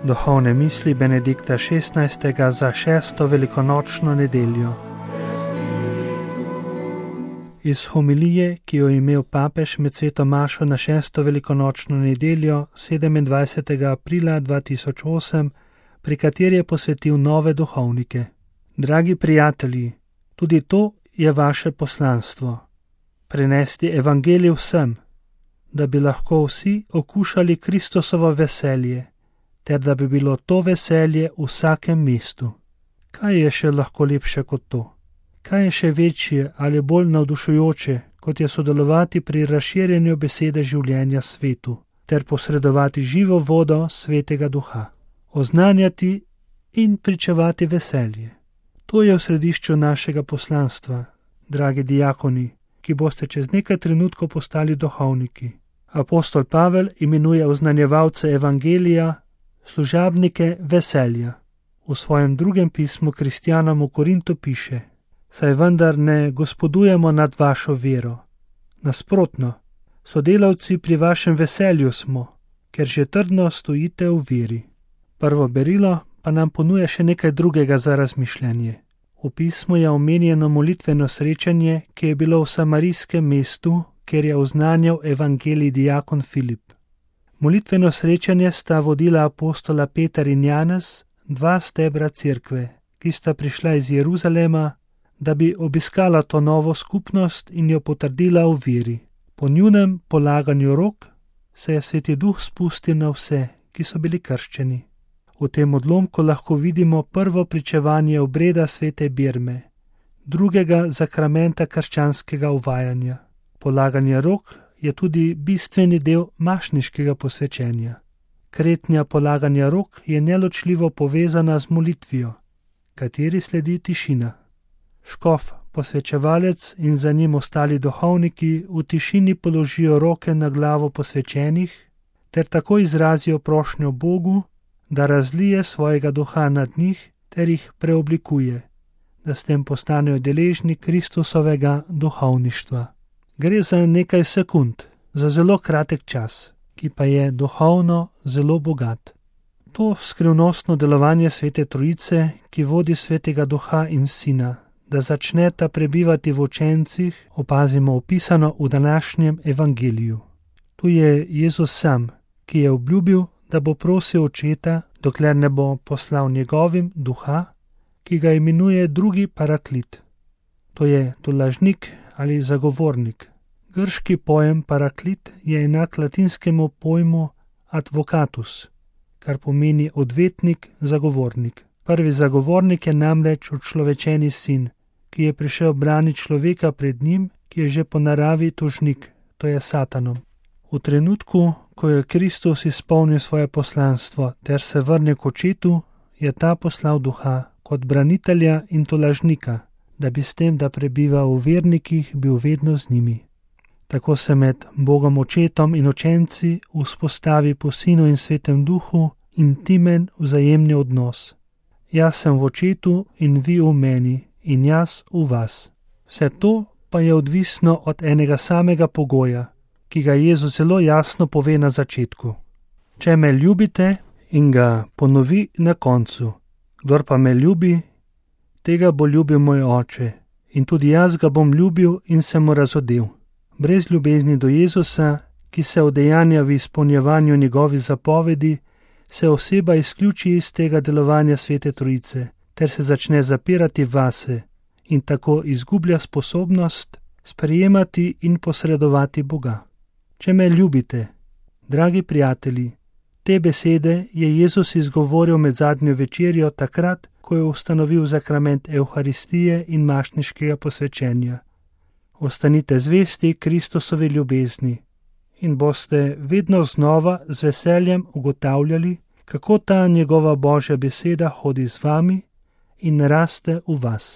Duhovne misli Benedikta XVI. Za 6. velikonočno nedeljo. Iz homilije, ki jo je imel papež med sveto mašo na 6. velikonočno nedeljo 27. aprila 2008, pri kateri je posvetil nove duhovnike. Dragi prijatelji, tudi to je vaše poslanstvo. Prenesti evangelij vsem, da bi lahko vsi okušali Kristusovo veselje, ter da bi bilo to veselje v vsakem mestu. Kaj je še lahko lepše kot to? Kaj je še večje ali bolj navdušujoče, kot je sodelovati pri razširjanju besede življenja svetu, ter posredovati živo vodo Svetega Duha, oznanjati in pričevati veselje. To je v središču našega poslanstva, dragi diakoni, ki boste čez nekaj trenutkov postali duhovniki. Apostol Pavel imenuje oznanjevalce evangelija služabnike veselja. V svojem drugem pismu kristjanom v Korintu piše: saj vendar ne gospodujemo nad vašo vero. Nasprotno, sodelavci pri vašem veselju smo, ker že trdno stojite v veri. Prvo berilo pa nam ponuja še nekaj drugega za razmišljanje. V pismu je omenjeno molitveno srečanje, ki je bilo v samarijskem mestu, kjer je oznanjal evangelij diakon Filip. Molitveno srečanje sta vodila apostola Peter in Janez, dva stebra cerkve, ki sta prišla iz Jeruzalema, da bi obiskala to novo skupnost in jo potrdila v veri. Po njunem polaganju rok se je Sveti Duh spustil na vse, ki so bili krščeni. V tem odlomku lahko vidimo prvo pričevanje obreda svete Birme, drugega zakramenta krščanskega uvajanja. Polaganje rok je tudi bistveni del mašniškega posvečenja. Kretnja polaganja rok je neločljivo povezana z molitvijo, kateri sledi tišina. Škof, posvečevalec in za njim ostali duhovniki v tišini položijo roke na glavo posvečenih ter tako izrazijo prošnjo Bogu, da razlije svojega duha nad njih ter jih preoblikuje, da s tem postanejo deležni Kristusovega duhovništva. Gre za nekaj sekund, za zelo kratek čas, ki pa je duhovno zelo bogat. To skrivnostno delovanje Svete Trojice, ki vodi Svetega Duha in Sina, da začneta prebivati v učencih, opazimo opisano v današnjem evangeliju. Tu je Jezus sam, ki je obljubil, da bo prosil Očeta, dokler ne bo poslal njegovim duha, ki ga imenuje drugi paraklit. To je tolažnik ali zagovornik. Grški pojem paraklit je enak latinskemu pojmu advocatus, kar pomeni odvetnik, zagovornik. Prvi zagovornik je namreč učlovečeni sin, ki je prišel braniti človeka pred njim, ki je že po naravi tožnik, to je Satanom. V trenutku, ko je Kristus izpolnil svoje poslanstvo ter se vrne k Očetu, je ta poslal duha kot branitelja in tolažnika, da bi s tem, da prebiva v vernikih, bil vedno z njimi. Tako se med Bogom Očetom in učenci vzpostavi po Sinu in Svetem Duhu intimen vzajemni odnos. Jaz sem v Očetu in vi v meni in jaz v vas. Vse to pa je odvisno od enega samega pogoja, ki ga Jezus zelo jasno pove na začetku. Če me ljubite, in ga ponovi na koncu. Kdor pa me ljubi, tega bo ljubil moj Oče, in tudi jaz ga bom ljubil in se mu razodel. Brez ljubezni do Jezusa, ki se udejanja v izpolnjevanju njegovih zapovedi, se oseba izključi iz tega delovanja Svete Trojice, ter se začne zapirati vase in tako izgublja sposobnost sprejemati in posredovati Boga. Če me ljubite, dragi prijatelji, te besede je Jezus izgovoril med zadnjo večerjo takrat, ko je ustanovil zakrament Evharistije in mašniškega posvečenja. Ostanite zvesti Kristusovi ljubezni in boste vedno znova z veseljem ugotavljali, kako ta njegova Božja beseda hodi z vami in raste v vas.